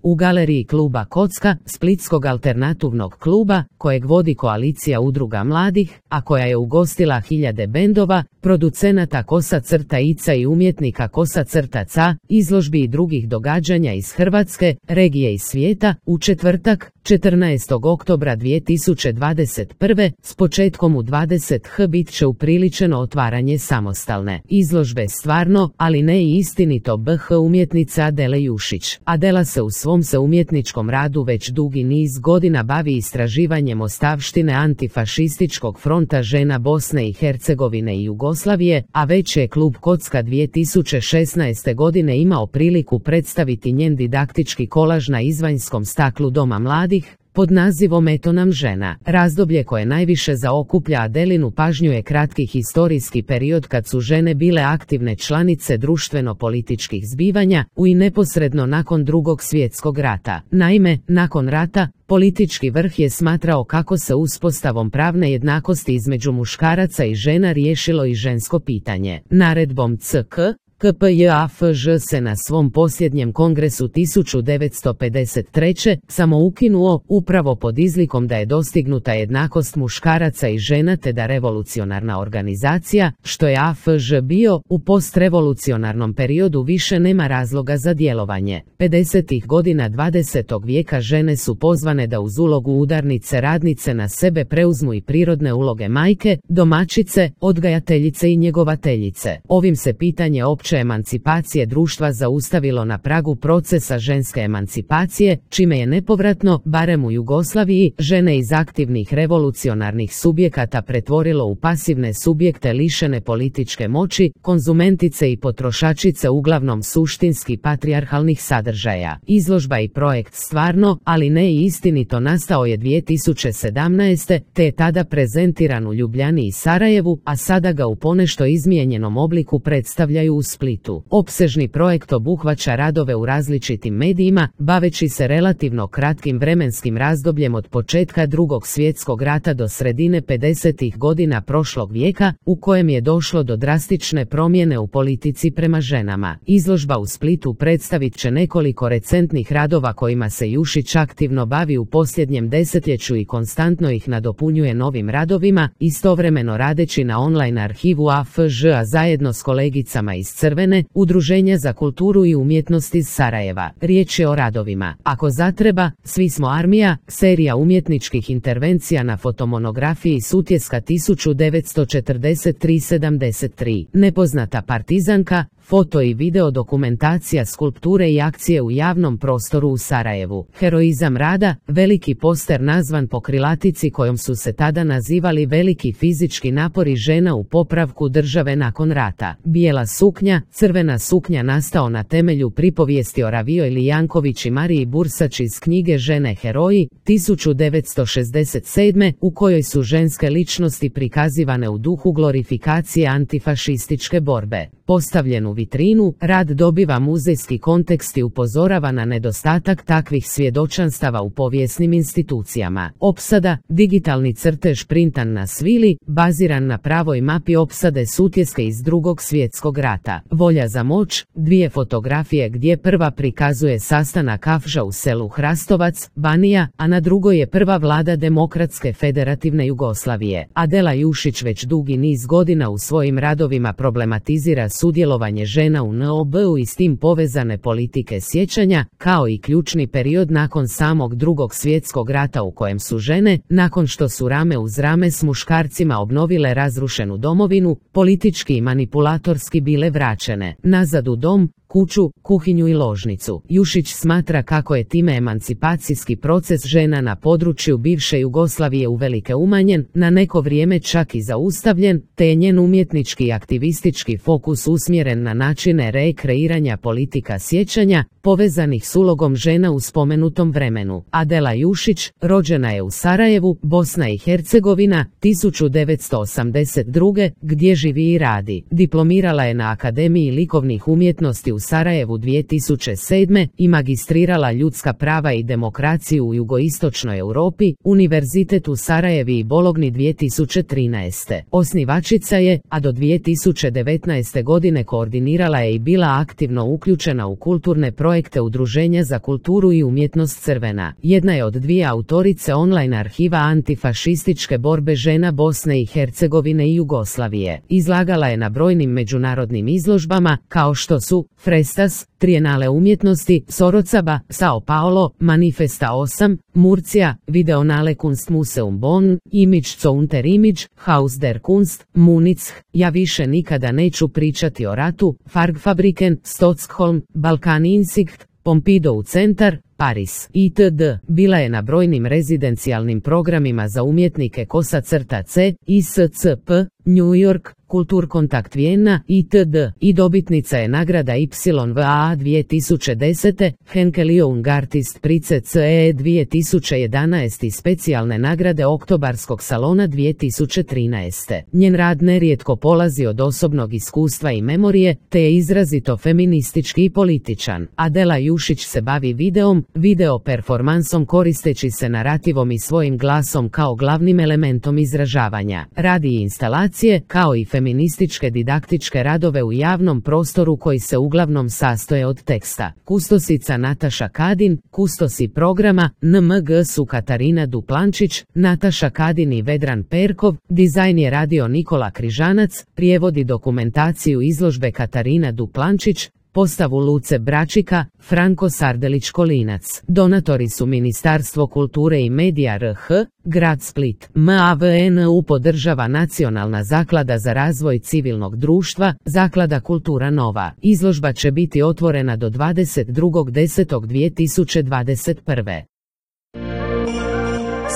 u galeriji kluba Kocka, splitskog alternativnog kluba, kojeg vodi koalicija udruga mladih, a koja je ugostila hiljade bendova, producenata Kosa-Ica i umjetnika Kosa-Ca, izložbi i drugih događanja iz Hrvatske, regije i svijeta, u četvrtak, 14. oktobra 2021. s početkom u 20h bit će upriličeno otvaranje samostalne izložbe Stvarno, ali ne i istinito BH umjetnice Adele Jušić. Adela se u svom umjetničkom radu već dugi niz godina bavi istraživanjem ostavštine antifašističkog fronta žena Bosne i Hercegovine i Jugoslavije, a već je klub Kocka 2016. godine imao priliku predstaviti njen didaktički kolaž na izvanjskom staklu Doma mladih, pod nazivom Eto nam žena. Razdoblje koje najviše zaokuplja Adelinu pažnju je kratki historijski period kad su žene bile aktivne članice društveno-političkih zbivanja u i neposredno nakon Drugog svjetskog rata. Naime, nakon rata, politički vrh je smatrao kako se uspostavom pravne jednakosti između muškaraca i žena riješilo i žensko pitanje. Naredbom CK KPJAFŽ se na svom posljednjem kongresu 1953. samo ukinuo, upravo pod izlikom da je dostignuta jednakost muškaraca i žena te da revolucionarna organizacija, što je AFŽ bio, u postrevolucionarnom periodu više nema razloga za djelovanje. 50. godina 20. vijeka žene su pozvane da uz ulogu udarnice radnice na sebe preuzmu i prirodne uloge majke, domaćice, odgajateljice i njegovateljice. Ovim se pitanje opće emancipacije društva zaustavilo na pragu procesa ženske emancipacije, čime je nepovratno, barem u Jugoslaviji, žene iz aktivnih revolucionarnih subjekata pretvorilo u pasivne subjekte lišene političke moći, konzumentice i potrošačice uglavnom suštinski patrijarhalnih sadržaja. Izložba i projekt Stvarno, ali ne i istinito nastao je 2017. te je tada prezentiran u Ljubljani i Sarajevu, a sada ga u ponešto izmijenjenom obliku predstavljaju u Splitu. Opsežni projekt obuhvaća radove u različitim medijima, baveći se relativno kratkim vremenskim razdobljem od početka Drugog svjetskog rata do sredine 50. godina prošlog vijeka, u kojem je došlo do drastične promjene u politici prema ženama. Izložba u Splitu predstavit će nekoliko recentnih radova kojima se Jušić aktivno bavi u posljednjem desetljeću i konstantno ih nadopunjuje novim radovima, istovremeno radeći na online arhivu AFŽ-a zajedno s kolegicama iz Crvene, Udruženja za kulturu i umjetnost iz Sarajeva. Riječ je o radovima Ako zatreba, Svi smo armija, serija umjetničkih intervencija na fotomonografiji Sutjeska 1943-73, Nepoznata partizanka, foto i video dokumentacija skulpture i akcije u javnom prostoru u Sarajevu. Heroizam rada, veliki poster nazvan po krilatici kojom su se tada nazivali veliki fizički napori žena u popravku države nakon rata. Bijela suknja, crvena suknja nastao na temelju pripovijesti o Ravijoj Janković i Mariji Bursač iz knjige Žene heroji, 1967. u kojoj su ženske ličnosti prikazivane u duhu glorifikacije antifašističke borbe. Postavljen u vitrinu, rad dobiva muzejski kontekst i upozorava na nedostatak takvih svjedočanstava u povijesnim institucijama. Opsada, digitalni crtež printan na svili, baziran na pravoj mapi opsade Sutjeske iz Drugog svjetskog rata. Volja za moć, dvije fotografije gdje prva prikazuje sastanak AFŽ-a u selu Hrastovac, Banija, a na drugoj je prva vlada Demokratske federativne Jugoslavije. Adela Jušić već dugi niz godina u svojim radovima problematizira sudjelovanje žena u NOB-u i s tim povezane politike sjećanja, kao i ključni period nakon samog Drugog svjetskog rata u kojem su žene, nakon što su rame uz rame s muškarcima obnovile razrušenu domovinu, politički i manipulatorski bile vraćene nazad u dom, kuću, kuhinju i ložnicu. Jušić smatra kako je time emancipacijski proces žena na području bivše Jugoslavije uvelike umanjen, na neko vrijeme čak i zaustavljen, te je njen umjetnički i aktivistički fokus usmjeren na načine rekreiranja politika sjećanja, povezanih s ulogom žena u spomenutom vremenu. Adela Jušić, rođena je u Sarajevu, Bosna i Hercegovina, 1982. gdje živi i radi. Diplomirala je na Akademiji likovnih umjetnosti u u Sarajevu 2007. i magistrirala ljudska prava i demokraciju u jugoistočnoj Europi, Univerzitet u Sarajevi i Bologni 2013. Osnivačica je, a do 2019. godine koordinirala je i bila aktivno uključena u kulturne projekte Udruženja za kulturu i umjetnost Crvena. Jedna je od dvije autorice online arhiva antifašističke borbe žena Bosne i Hercegovine i Jugoslavije. Izlagala je na brojnim međunarodnim izložbama, kao što su Frestas, Trijenale umjetnosti, Sorocaba, Sao Paulo, Manifesta 8, Murcia, Videonale Kunstmuseum Bonn, Image zu unter Image, Haus der Kunst, Munic, Ja više nikada neću pričati o ratu, Fargfabriken, Stockholm, Balkan Insight, Pompidou centar, Paris, itd. Bila je na brojnim rezidencijalnim programima za umjetnike Kosa-C, ISCP, New York, Kulturkontakt Vijena, itd. i dobitnica je nagrada YVA 2010, Henkel Young Artist Prize CE 2011 i specijalne nagrade Oktobarskog salona 2013. Njen rad nerijetko polazi od osobnog iskustva i memorije, te je izrazito feministički i političan. Adela Jušić se bavi videom, video performansom koristeći se narativom i svojim glasom kao glavnim elementom izražavanja. Radi instalacije, kao i feminističke didaktičke radove u javnom prostoru koji se uglavnom sastoje od teksta. Kustosica Nataša Kadin, kustosi programa NMG su Katarina Duplančić, Nataša Kadin i Vedran Perkov, dizajn je radio Nikola Križanac, prijevodi dokumentaciju izložbe Katarina Duplančić, postavu Luce Bračika, Franko Sardelić-Kolinac. Donatori su Ministarstvo kulture i medija RH, Grad Split. MAVNU podržava Nacionalna zaklada za razvoj civilnog društva, Zaklada Kultura Nova. Izložba će biti otvorena do 22.10.2021.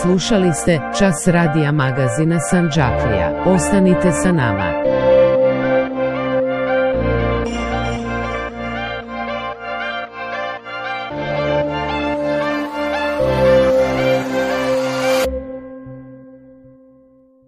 Slušali ste Čas radija magazina Sandžaklija. Ostanite sa nama.